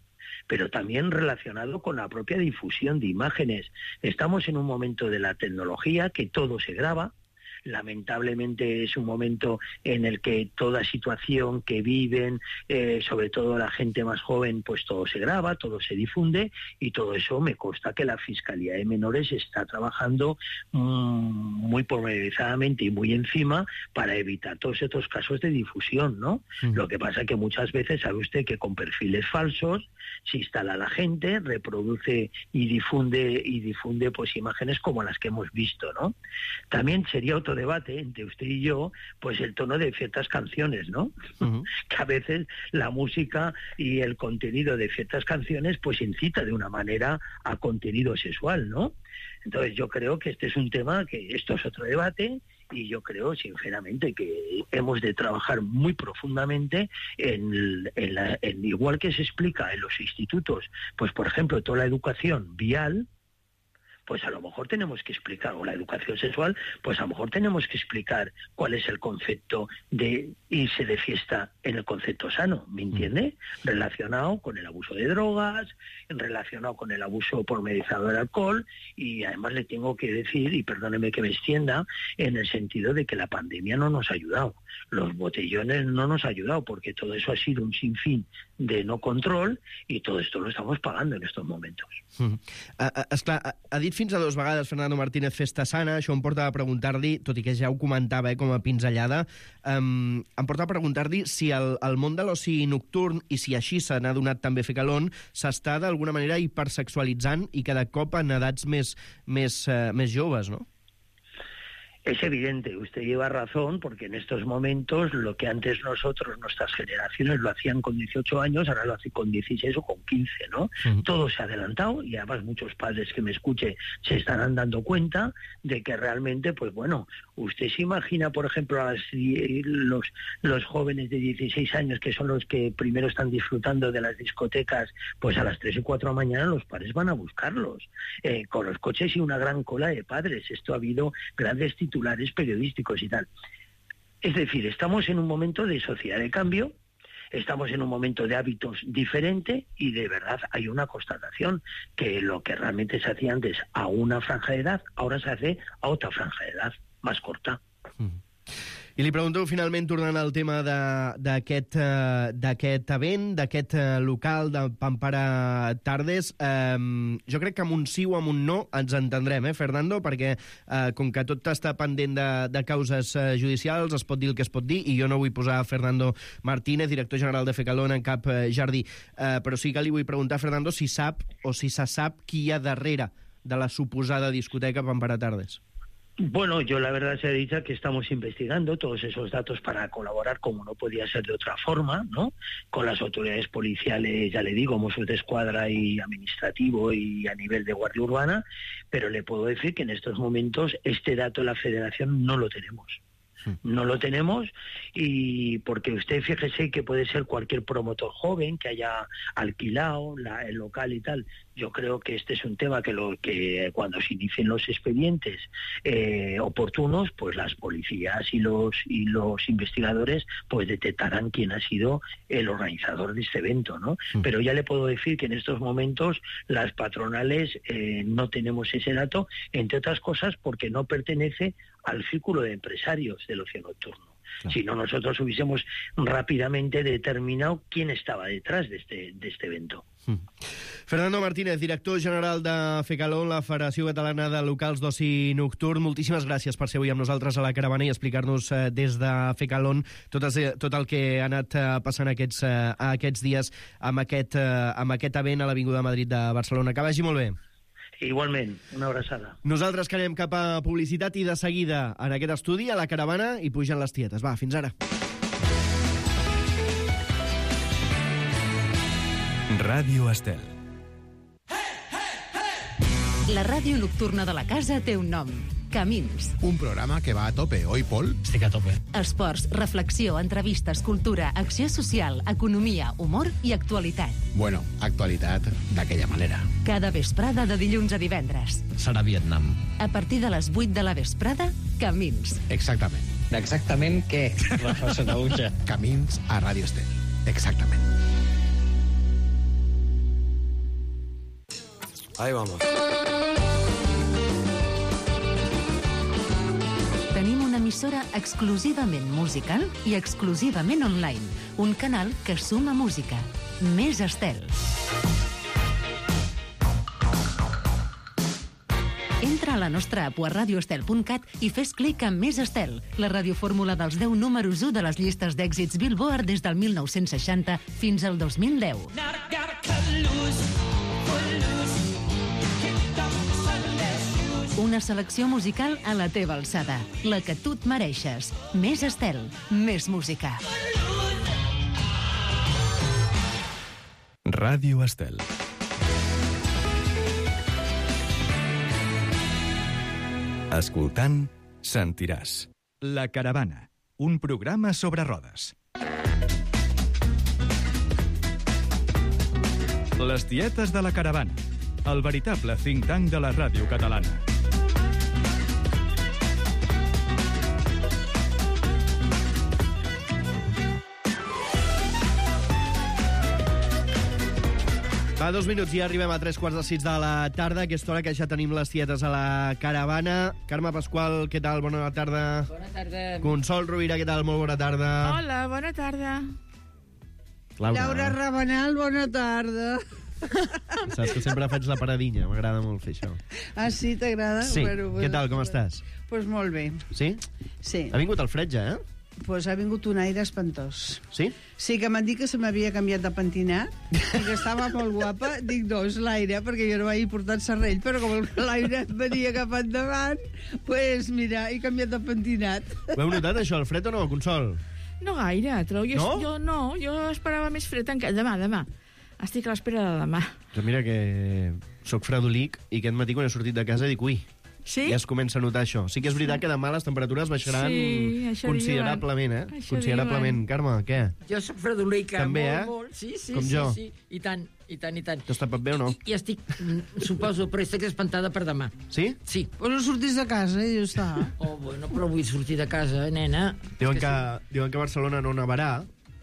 pero también relacionado con la propia difusión de imágenes. Estamos en un momento de la tecnología que todo se graba, lamentablemente es un momento en el que toda situación que viven, eh, sobre todo la gente más joven, pues todo se graba, todo se difunde, y todo eso me consta que la Fiscalía de Menores está trabajando mmm, muy pormenorizadamente y muy encima para evitar todos estos casos de difusión, ¿no? Mm. Lo que pasa es que muchas veces sabe usted que con perfiles falsos se instala la gente, reproduce y difunde y difunde pues imágenes como las que hemos visto, ¿no? También sería otro debate entre usted y yo, pues el tono de ciertas canciones, ¿no? Uh-huh. Que a veces la música y el contenido de ciertas canciones pues incita de una manera a contenido sexual, ¿no? Entonces yo creo que este es un tema que esto es otro debate, y yo creo sinceramente que hemos de trabajar muy profundamente en, en, la, en igual que se explica en los institutos, pues por ejemplo toda la educación vial, pues a lo mejor tenemos que explicar, o la educación sexual, pues a lo mejor tenemos que explicar cuál es el concepto de irse de fiesta en el concepto sano, ¿me entiende? Relacionado con el abuso de drogas, relacionado con el abuso pormenorizado del alcohol, y además le tengo que decir, y perdóneme que me extienda, en el sentido de que la pandemia no nos ha ayudado, los botellones no nos ha ayudado, porque todo eso ha sido un sinfín de no control, i todo esto lo estamos pagando en estos momentos. Mm. Uh, uh, esclar, ha, ha dit fins a dos vegades Fernando Martínez festa sana, això em porta a preguntar-li, tot i que ja ho comentava eh, com a pinzellada, um, em porta a preguntar-li si el, el món de l'oci nocturn, i si així se n'ha donat també Fecalón, s'està d'alguna manera hipersexualitzant i cada cop en edats més, més, uh, més joves, no? Es evidente, usted lleva razón, porque en estos momentos lo que antes nosotros, nuestras generaciones, lo hacían con dieciocho años, ahora lo hacen con dieciséis o con quince, ¿no? Uh-huh. Todo se ha adelantado, y además muchos padres que me escuchen se estarán dando cuenta de que realmente, pues bueno, usted se imagina, por ejemplo, a las, los, los jóvenes de dieciséis años, que son los que primero están disfrutando de las discotecas, pues a las tres y cuatro de la mañana los padres van a buscarlos, eh, con los coches y una gran cola de padres. Esto ha habido grandes titulares periodísticos y tal. Es decir, estamos en un momento de sociedad de cambio, estamos en un momento de hábitos diferente, y de verdad hay una constatación, que lo que realmente se hacía antes a una franja de edad, ahora se hace a otra franja de edad más corta. Mm. I li pregunto, finalment, tornant al tema d'aquest uh, event, d'aquest uh, local de Pampara Tardes, um, jo crec que amb un sí o amb un no ens entendrem, eh, Fernando? Perquè uh, com que tot està pendent de, de causes uh, judicials, es pot dir el que es pot dir, i jo no vull posar Fernando Martínez, director general de Fecalón, en cap uh, jardí. Uh, però sí que li vull preguntar, Fernando, si sap o si se sap qui hi ha darrere de la suposada discoteca Pampara Tardes. Bueno, yo la verdad se ha dicho que estamos investigando todos esos datos para colaborar, como no podía ser de otra forma, ¿no? Con las autoridades policiales, ya le digo, Mossos de Escuadra y administrativo y a nivel de Guardia Urbana, pero le puedo decir que en estos momentos este dato de la Federación no lo tenemos. No lo tenemos, y porque usted fíjese que puede ser cualquier promotor joven que haya alquilado la, el local y tal. Yo creo que este es un tema que, lo, que cuando se inicien los expedientes eh, oportunos, pues las policías y los y los investigadores pues detectarán quién ha sido el organizador de este evento, ¿no? Mm. Pero ya le puedo decir que en estos momentos las patronales eh, no tenemos ese dato, entre otras cosas porque no pertenece al círculo de empresarios del ocio nocturno. Claro. Si no, nosotros hubiésemos rápidamente determinado quién estaba detrás de este, de este evento. Mm. Fernando Martínez, director general de Fecalón, la Federació Catalana de Locals d'Oci Nocturn, moltíssimes gràcies per ser avui amb nosaltres a la caravana i explicar-nos eh, des de Fecalón tot, es, tot el que ha anat eh, passant aquests, eh, aquests dies amb aquest, eh, amb aquest event a l'Avinguda Madrid de Barcelona. Que vagi molt bé. Igualment, una abraçada. Nosaltres que anem cap a publicitat i de seguida en aquest estudi, a la caravana, i pugen les tietes. Va, fins ara. Ràdio Estel. La ràdio nocturna de la casa té un nom. Camins. Un programa que va a tope, oi, Pol? Sí que a tope. Esports, reflexió, entrevistes, cultura, acció social, economia, humor i actualitat. Bueno, actualitat d'aquella manera. Cada vesprada de dilluns a divendres. Serà Vietnam. A partir de les vuit de la vesprada, Camins. Exactament. Exactament què? Rafa Sanaúja. Camins a Ràdio Estel. Exactament. Ahí vamos. Tenim una emissora exclusivament musical i exclusivament online. Un canal que suma música. Més Estel. Entra a la nostra app a radioestel punt cat i fes clic en Més Estel, la radiofórmula dels deu números u de les llistes d'èxits Billboard des del mil nou-cents seixanta fins al dos mil deu. Una selecció musical a la teva alçada, la que tu et mereixes. Més Estel, més música. Ràdio Estel. Escoltant, sentiràs. La Caravana, un programa sobre rodes. Les tietes de la Caravana, el veritable think tank de la ràdio catalana. Fa dos minuts i ja arribem a tres quarts de sis de la tarda, aquesta hora que ja tenim les tietes a la Caravana. Carme Pasqual, què tal? Bona tarda. Bona tarda. Consol Rovira, què tal? Molt bona tarda. Hola, bona tarda. Laura. Laura Rabanal, bona tarda. Saps que sempre faig la paradinha, m'agrada molt fer això. Ah, sí, t'agrada? Sí, Bueno, què tal, com estàs? Doncs pues molt bé. Sí? Sí. Ha vingut el fred ja, eh? Doncs pues ha vingut un aire espantós. Sí? Sí, que m'han dit que se m'havia canviat de pentinat i que estava molt guapa. Dic, no, és l'aire, perquè jo no vaig portar serrell, però com l'aire venia cap endavant, doncs pues, mira, he canviat de pentinat. Ho heu notat, això, el fred o no, Consol? No gaire, trobo. Jo, No? jo no, jo esperava més fred encara. Demà, demà. Estic a l'espera de demà. Jo mira que sóc fredolic i aquest matí quan he sortit de casa dic, ui, sí? ja es comença a notar això. Sí que és veritat que demà les temperatures baixaran Sí, això considerablement, eh? diuen. Això Considerablement. Carme, què? Jo sóc fredolica, També, molt, eh? molt. Sí, sí, Com sí, jo. sí. I tant, i tant, i tant. T'has tapat bé o no? I estic, mm, suposo, però estic espantada per demà. Sí? Sí. Pues no sortis de casa i ja està. Oh, bueno, però vull sortir de casa, nena. Diuen És que, sí. diuen que a Barcelona no nevarà,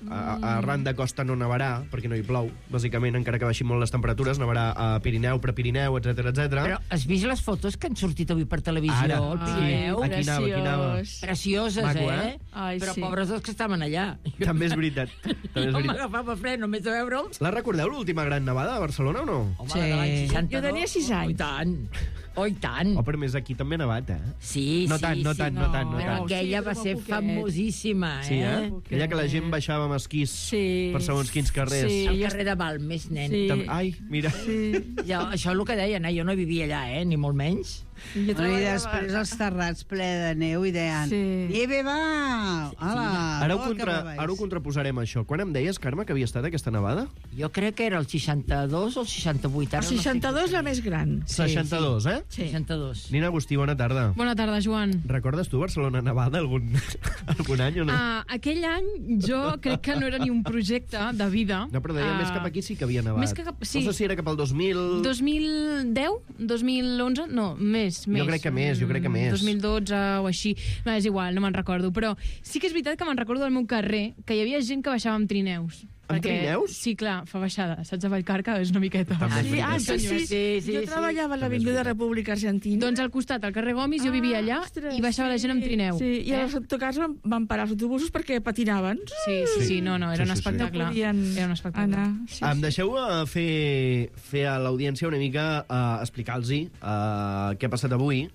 a, a arran de costa no nevarà, perquè no hi plou, bàsicament, encara que baixin molt les temperatures, nevarà a Pirineu, Prepirineu, etcètera, etcètera. Però has vist les fotos que han sortit avui per televisió? Ara, al Pirineu? sí. Aquí anava, aquí anava. Precioses, Maco, eh? eh? Ai, però sí. pobres els que estaven allà. També és veritat. També és Jo veritat. m'agafava fred només de veure'ls. La recordeu, l'última gran nevada a Barcelona o no? Home, sí. de l'any seixanta-dos. Jo tenia sis anys. Oh, i tant. Oh, i tant. Oh, però més aquí també ha nevat, eh? Sí, No sí, tant, no sí. tant, no tant, no Però tant. aquella Sí, va però ser poquet. famosíssima, eh? Sí, eh? Aquella que la gent baixava amb esquís Sí. per segons quins carrers. Sí. Al carrer de Balmes, nen. Sí. Tam- Ai, mira. Sí. Jo, això és el que deien, eh? Jo no vivia allà, eh? Ni molt menys. Jo I treballava- després els terrats ple de neu i deien, Sí. nieve va! Hola, Ara ho, oh, que contra, me vais. ara ho contraposarem, això. Quan em deies, Carme, que havia estat aquesta nevada? Jo crec que era el seixanta-dos o el seixanta-vuit. El Ara no sé seixanta-dos la més gran. Sí, seixanta-dos, eh? Sí. seixanta-dos. Nina Agustí, bona tarda. Bona tarda, Joan. Recordes tu Barcelona nevada algun, algun any o no? Uh, aquell any jo crec que no era ni un projecte de vida. No, però deia Ah, més cap aquí sí que havia nevat. Més que cap- sí. No sé si era cap al dos mil... dos mil deu? dos mil onze? No, més, més. crec que més, jo crec que més. dos mil dotze o així. No, és igual, no me'n recordo. Però sí que és veritat que me'n recordo del meu carrer que hi havia gent que baixava amb trineus. Amb trineus? Sí, clar, fa baixada. Saps, a Vallcarca és una miqueta. També és Sí, veritat. ah, sí, sí. Sí, sí, jo sí. treballava a l'Avinguda República Argentina. Doncs al costat, al carrer Gomis, jo vivia allà ostres, i baixava la gent amb trineu. Sí, i eh? als autocars van, van parar els autobusos perquè patinaven. Sí, sí, sí, no, no, era Sí, un sí, sí. espectacle. No podien Era un espectacle. anar. Sí, Em sí. deixeu uh, fer, fer a l'audiència una mica, uh, explicar-los uh, què ha passat avui.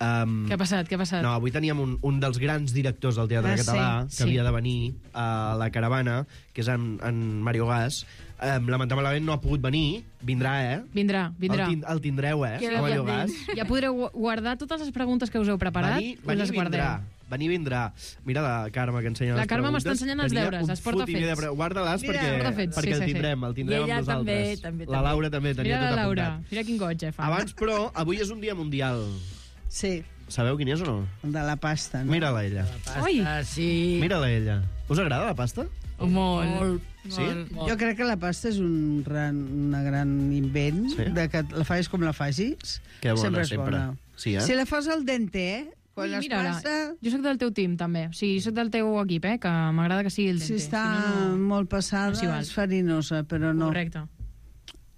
Um, Què ha passat, què ha passat? No, avui teníem un, un dels grans directors del Teatre Ah, sí, Català que sí. havia de venir a la Caravana, que és en, en Mario Gas. Um, lamentablement no ha pogut venir. Vindrà, eh? Vindrà, vindrà. El, tin, el tindreu, eh? Que a Mario Gas. Ja podreu gu- guardar totes les preguntes que us heu preparat Venir, i venir les guardeu. vindrà. Venir vindrà. Mira la Carme que ensenya La les Carme preguntes. m'està ensenyant els Tenia deures, un els porta fotimer de fets. pre- Guarda-les Mira, perquè, porta fets, perquè sí, el sí, sí. tindrem, el tindrem I amb ella nosaltres. també, també, La també. Laura també tenia Mira tot la Laura, apuntat. mira quin goig, eh, fa. Abans, però, avui és un dia mundial. Sí, Sabeu quin és o no? de la pasta, no? Mira-la ella. Oi! Ah, sí. Mira-la ella. Us agrada la pasta? Molt. Molt. Sí? molt. Jo crec que la pasta és un gran, una gran invent, Sí? de que la facis com la facis, Que bona, sempre és sempre. bona. Sí, eh? Si la fas al dente, eh? Quan Ui, les mira, passa, jo sóc del teu team, també. O sigui, sóc del teu equip, eh, que m'agrada que sigui el si dente. està no, no... molt passada, no s'hi val. és farinosa, però no. Correcte.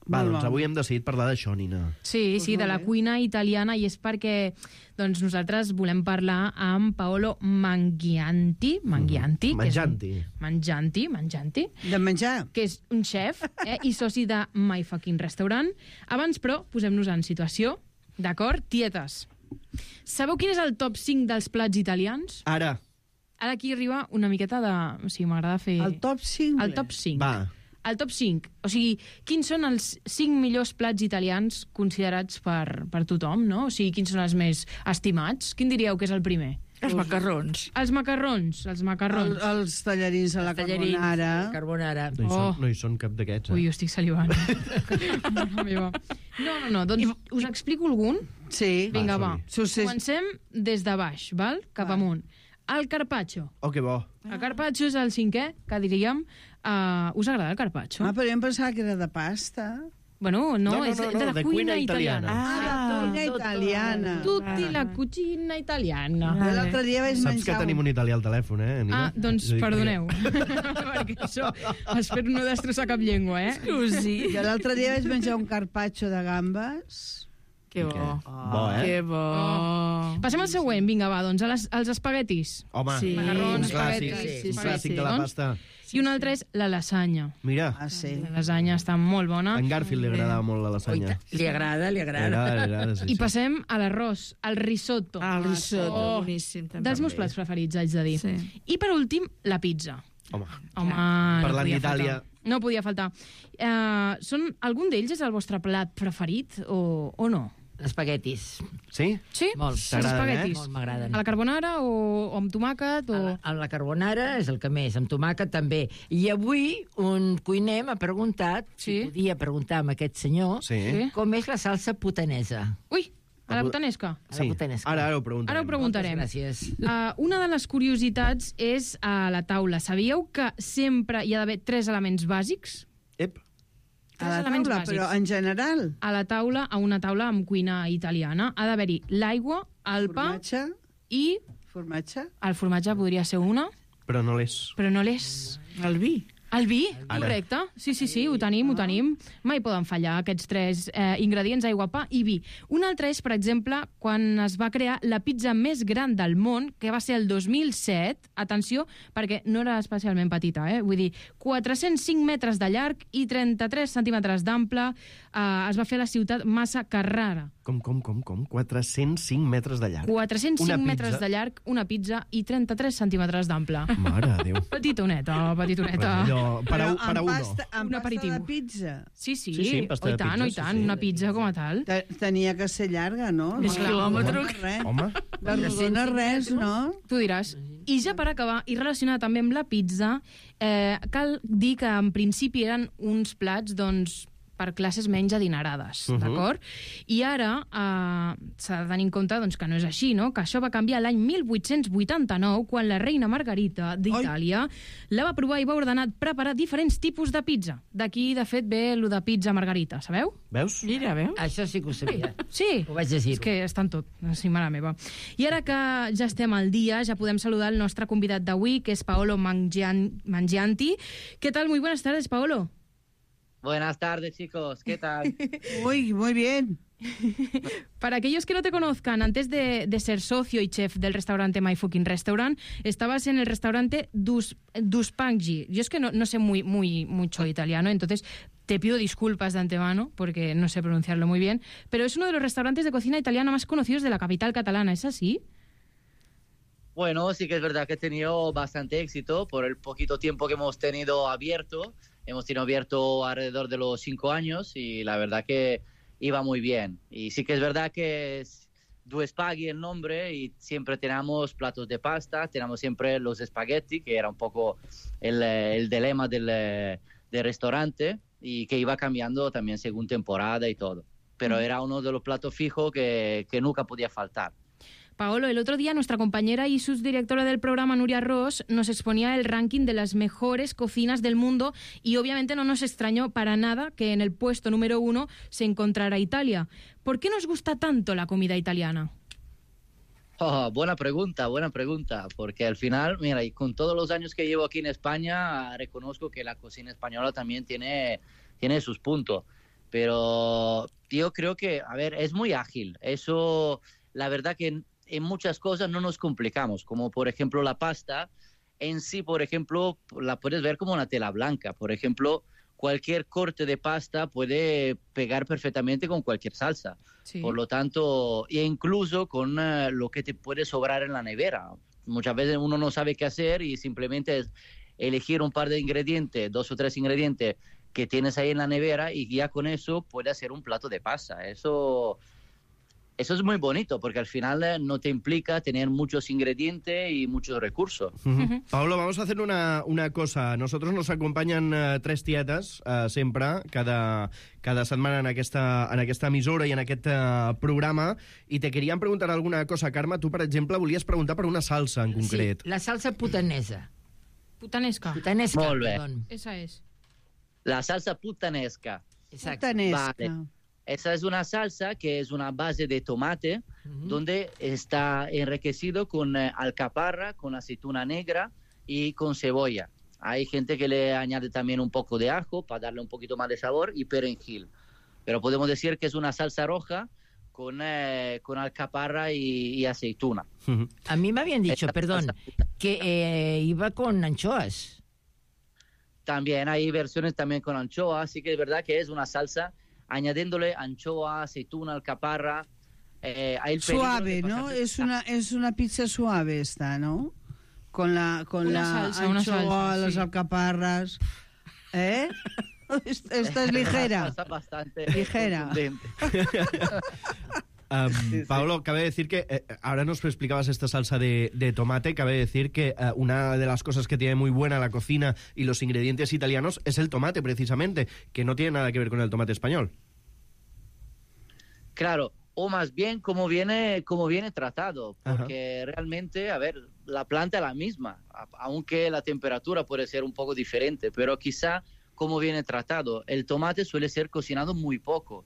Va, Molt doncs bona. avui hem decidit parlar d'això, Nina. Sí, sí, de la cuina italiana, i és perquè doncs, nosaltres volem parlar amb Paolo Mangianti, Mangianti, que és un- Mangianti. Mangianti, Mangianti, De menjar. que és un chef eh, i soci de My Fucking Restaurant. Abans, però, posem-nos en situació, d'acord? Tietes, sabeu quin és el top cinc dels plats italians? Ara. Ara aquí arriba una miqueta de... O sigui, m'agrada fer... El top cinc. El top cinc. Va. El top cinc. O sigui, quins són els cinc millors plats italians considerats per, per tothom, no? O sigui, quins són els més estimats? Quin diríeu que és el primer? Els macarrons. Els macarrons, els macarrons. El, els tallarins a la Tallarins, carbonara. carbonara. No hi, Oh. són, no hi són cap d'aquests, eh? Ui, jo estic salivant. Mare meva. No, no, no, doncs us explico algun. Sí. Vinga, va. Succés. Comencem des de baix, val? Cap amunt. El carpaccio. Oh, que bo. El carpaccio és el cinquè, que diríem. Uh, us agrada el carpaccio? Ah, però jo em pensava que era de pasta. Bueno, no, No, no, és no, de no, la de cuina cuina italiana. Ah, cuina italiana. Tutti la cucina italiana. Jo l'altre dia vaig Saps que menjar... tenim un italià al telèfon, eh, Nina? Ah, doncs És a dir, perdoneu. Perquè això, espero no destrossar cap llengua, eh? Excusi. Jo l'altre dia vaig menjar un carpaccio de gambes. Que bo. Bo, eh? Que bo. Oh. Passem al següent, vinga, va, doncs a les, als espaguetis. Home, Sí. Macarrons, un clàssic, espaguetis, sí, un sí, clàssic sí. de la Doncs, pasta. I un altre és la lasanya. Mira, Ah, sí. La lasanya està molt bona. a en Garfield li agradava molt la lasanya. Li agrada, li agrada. Era, era, sí, I sí. passem a l'arròs, al risotto. Ah, el risotto, Oh, boníssim. també. Dels meus plats preferits, haig de dir. Sí. I per últim, la pizza. Home, Home, Parlant no podia d'Itàlia. faltar. No podia faltar. Uh, són, algun d'ells és el vostre plat preferit o, o no? Espaguetis. sí? Sí? Molt. Els T'agraden, espaguetis. eh? Molt m'agraden. A la carbonara o, o amb tomàquet? O... A la, a la carbonara és el que més, amb tomàquet també. I avui un cuiner m'ha preguntat, Sí. si podia preguntar amb aquest senyor, Sí. Sí. com és la salsa putanesa. Ui, a la botanesca. A la Sí. botanesca. Ara, ara ho preguntarem. Ara ho preguntarem. Moltes gràcies. Uh, una de les curiositats és a la taula. Sabíeu que sempre hi ha d'haver tres elements bàsics? Ep. A la elements taula, bàsics. però en general. A la taula, a una taula amb cuina italiana, ha d'haver-hi l'aigua, el pa Formatge. i Formatge. el formatge podria ser una, Però no l'és. però no l'és. El vi. El vi, Ara. correcte. Sí, sí, sí, ho tenim, ho tenim. Mai poden fallar aquests tres eh, ingredients, aigua, pa i vi. Un altre és, per exemple, quan es va crear la pizza més gran del món, que va ser el dos mil set, atenció, perquè no era especialment petita, eh? Vull dir, quatre-cents cinc metres de llarg i trenta-tres centímetres d'ample, eh, es va fer a la ciutat Massa Carrara. Com, com, com, com? quatre-cents cinc metres de llarg. quatre-cents cinc Una pizza. metres de llarg, una pizza i trenta-tres centímetres d'ample. Mare de Déu. Petitoneta, petitoneta. Allò, per a, Però per a amb uno. pasta, amb Un pasta aperitiu. de pizza. Sí, sí, Sí, sí, pasta oh, de i tant, pizza, oh, i sí, tant, sí. una pizza com a tal. Te- Tenia que ser llarga, no? Més No, quilòmetre. no, res. Home, La rodona res, no? Tu diràs. I ja per acabar, i relacionat també amb la pizza, eh, cal dir que en principi eren uns plats, doncs, per classes menys adinerades, Mhm. d'acord? I ara eh, s'ha de tenir en compte doncs, que no és així, no? Que això va canviar l'any mil vuit-cents vuitanta-nou, quan la reina Margarita d'Itàlia la va provar i va ordenar preparar diferents tipus de pizza. D'aquí, de fet, ve lo de pizza Margarita, sabeu? veus? Mira, veus? Això sí que ho sabia. Sí, Ho vaig llegir. és que està en tot, sí, mare meva. I ara que ja estem al dia, ja podem saludar el nostre convidat d'avui, que és Paolo Mangian- Mangianti. Què tal? Muy buenas tardes, Paolo. Buenas tardes, chicos. ¿Qué tal? Uy, muy bien. Para aquellos que no te conozcan, antes de, de ser socio y chef del restaurante My Fucking Restaurant, estabas en el restaurante Dus, Duspanghi. Yo es que no, no sé muy, muy, mucho italiano, entonces te pido disculpas de antemano porque no sé pronunciarlo muy bien, pero es uno de los restaurantes de cocina italiana más conocidos de la capital catalana, ¿es así? Bueno, sí que es verdad que he tenido bastante éxito por el poquito tiempo que hemos tenido abierto. Hemos tenido abierto alrededor de los cinco años y la verdad que iba muy bien. Y sí que es verdad que es Due Spaghi el nombre y siempre tenemos platos de pasta, tenemos siempre los espagueti, que era un poco el, el dilema del, del restaurante y que iba cambiando también según temporada y todo. Pero era uno de los platos fijos que, que nunca podía faltar. Paolo, el otro día nuestra compañera y subdirectora del programa, Nuria Ross, nos exponía el ranking de las mejores cocinas del mundo y obviamente no nos extrañó para nada que en el puesto número uno se encontrara Italia. ¿Por qué nos gusta tanto la comida italiana? Oh, buena pregunta, buena pregunta, porque al final, mira, y con todos los años que llevo aquí en España, reconozco que la cocina española también tiene, tiene sus puntos. Pero yo creo que, a ver, es muy ágil. Eso, la verdad que en, en muchas cosas no nos complicamos, como por ejemplo la pasta. En sí, por ejemplo, la puedes ver como una tela blanca. Por ejemplo, cualquier corte de pasta puede pegar perfectamente con cualquier salsa. Sí. Por lo tanto, e incluso con uh, lo que te puede sobrar en la nevera. Muchas veces uno no sabe qué hacer y simplemente es elegir un par de ingredientes, dos o tres ingredientes que tienes ahí en la nevera y ya con eso puede hacer un plato de pasta. Eso... Eso es muy bonito, porque al final eh, no te implica tener muchos ingredientes y muchos recursos. Uh-huh. Pablo, vamos a hacer una, una cosa. Nosotros nos acompanyen uh, tres tietes, uh, sempre, cada, cada setmana en aquesta, en aquesta emissora i en aquest uh, programa, i te queríem preguntar alguna cosa. Carme, tu, per exemple, volies preguntar per una salsa en concret. Sí, la salsa putanesa. Putanesca. Putanesca, Molt bé. perdón. Esa es. La salsa puttanesca. Exacto. Putanesca. Vale. Esa es una salsa que es una base de tomate, uh-huh. donde está enriquecido con eh, alcaparra, con aceituna negra y con cebolla. Hay gente que le añade también un poco de ajo para darle un poquito más de sabor y perejil. Pero podemos decir que es una salsa roja con, eh, con alcaparra y, y aceituna. Uh-huh. A mí me habían dicho, Esta perdón, salsa- que eh, iba con anchoas. También hay versiones también con anchoa, así que es verdad que es una salsa añadiéndole anchoa, aceituna, alcaparra. Eh, hay el peligro Suave, de ¿no? pasar- Es una, es una pizza suave esta, ¿no? Con la, con Una la salsa, una anchoa, salsa, las sí. alcaparras. ¿Eh? Esta, esta es Una ligera. salsa bastante Ligera. contundente. Um, Sí, sí. Pablo, cabe decir que eh, ahora nos explicabas esta salsa de, de tomate. Cabe decir que eh, una de las cosas que tiene muy buena la cocina y los ingredientes italianos es el tomate, precisamente, que no tiene nada que ver con el tomate español. Claro, o más bien cómo viene, cómo viene tratado, Ajá. porque realmente, a ver, la planta es la misma, a- aunque la temperatura puede ser un poco diferente, pero quizá cómo viene tratado. El tomate suele ser cocinado muy poco.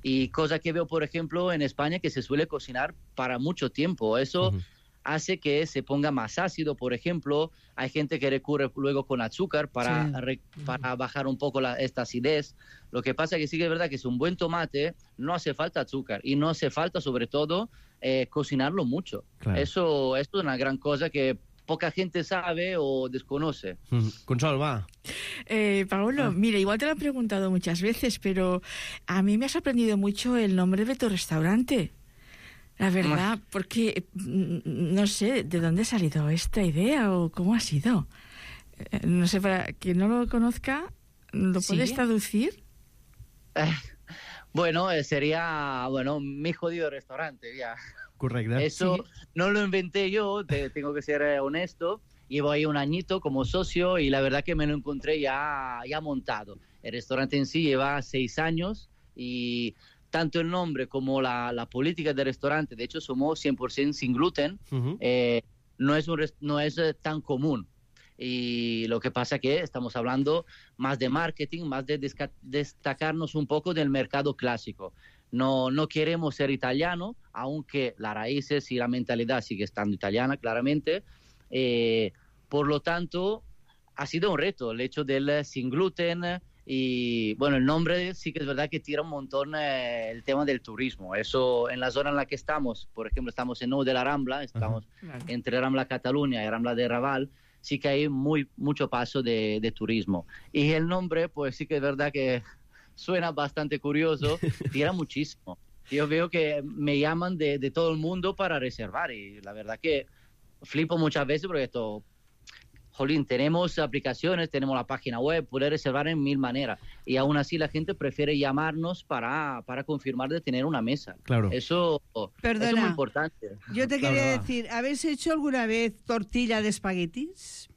Y cosa que veo, por ejemplo, en España, que se suele cocinar para mucho tiempo. Eso Ujú. hace que se ponga más ácido, por ejemplo. Hay gente que recurre luego con azúcar para, Sí. re- para bajar un poco la, esta acidez. Lo que pasa que sí que es verdad que es un buen tomate, no hace falta azúcar y no hace falta, sobre todo, eh, cocinarlo mucho. Claro. Eso, esto es una gran cosa que poca gente sabe o desconoce. Mm. Consol, va. Eh, Paolo, Ah. mira, igual te lo he preguntado muchas veces, pero a mí me ha sorprendido mucho el nombre de tu restaurante. La verdad, porque mm, no sé de dónde ha salido esta idea o cómo ha sido. Eh, No sé, para quien no lo conozca, ¿lo Sí. puedes traducir? Bueno, eh, sería, bueno, mi jodido restaurante, ya. Correcte. Eso no lo inventé yo, te- tengo que ser eh, honesto. Llevo ahí un añito como socio y la verdad que me lo encontré ya, ya montado. El restaurante en sí lleva seis años y tanto el nombre como la, la política del restaurante, de hecho somos cien por ciento sin gluten, Uh-huh. eh, no es, un res- no es eh, tan común. Y lo que pasa que estamos hablando más de marketing, más de desca- destacarnos un poco del mercado clásico. No, no queremos ser italiano, aunque las raíces y la mentalidad sigue estando italiana, claramente. Eh, por lo tanto, ha sido un reto el hecho del eh, sin gluten. Y bueno, el nombre sí que es verdad que tira un montón eh, el tema del turismo. Eso en la zona en la que estamos, por ejemplo, estamos en Nou de la Rambla, estamos Claro. entre Rambla Cataluña y Rambla de Raval, sí que hay muy, mucho paso de, de turismo. Y el nombre, pues sí que es verdad que suena bastante curioso, tira muchísimo. Yo veo que me llaman de, de todo el mundo para reservar y la verdad que flipo muchas veces porque esto, jolín, tenemos aplicaciones, tenemos la página web, puedes reservar en mil maneras y aún así la gente prefiere llamarnos para, para confirmar de tener una mesa. Claro. Eso, eso es Perdona. muy importante. Yo te Claro, quería va. decir, ¿habéis hecho alguna vez tortilla de espaguetis?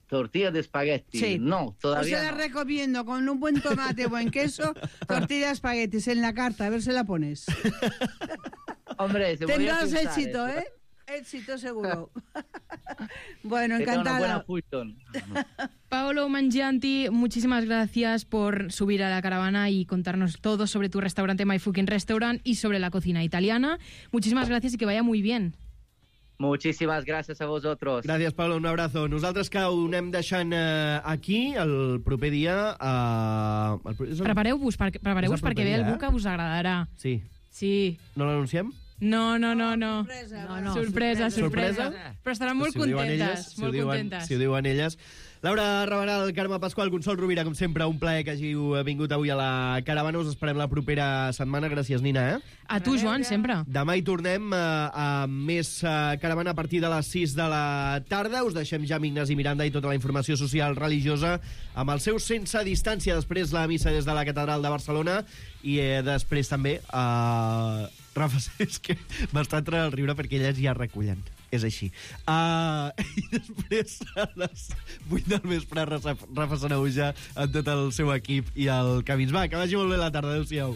Tortilla de espagueti. Sí. No, Os todavía la no. recomiendo con un buen tomate, buen queso, tortilla de espaguetis en la carta, a ver si la pones. Hombre, se voy a Tendrás pensar éxito, eso. ¿eh? Éxito seguro. Bueno, Que tenga una buena encantada. fusión. Paolo Mangianti, muchísimas gracias por subir a la caravana y contarnos todo sobre tu restaurante My Fucking Restaurant y sobre la cocina italiana. Muchísimas gracias y que vaya muy bien. Muchísimas gracias a vosotros. Gràcies, Pablo, un abrazo. Nosaltres que ho anem deixant eh, aquí, el proper dia... Eh, el... Prepareu-vos perquè, prepareu És el perquè proper ve dia, algú eh? que us agradarà. Sí. Sí. No l'anunciem? No, no, no, no. Sorpresa. No, no. Sorpresa, sorpresa. Però estaran molt Si ho diuen contentes. elles, si ho molt diuen, contentes. si ho diuen elles. Laura Rabanal, Carme Pasqual, Consol Rovira, com sempre, un plaer que hàgiu vingut avui a la caravana. Us esperem la propera setmana. Gràcies, Nina, eh? A tu, Joan, sempre. Demà hi tornem eh, a més eh, caravana a partir de les sis de la tarda. Us deixem ja amb Ignasi Miranda i tota la informació social religiosa amb el seu Sense Distància. Després la missa des de la Catedral de Barcelona i eh, després també eh, Rafa, és que m'està entrant el riure perquè elles ja recullen. És així. Uh, I després, a les vuit del vespre, Rafa Sanahuja amb tot el seu equip i el Camins. Va, que vagi molt bé la tarda. Adéu-siau.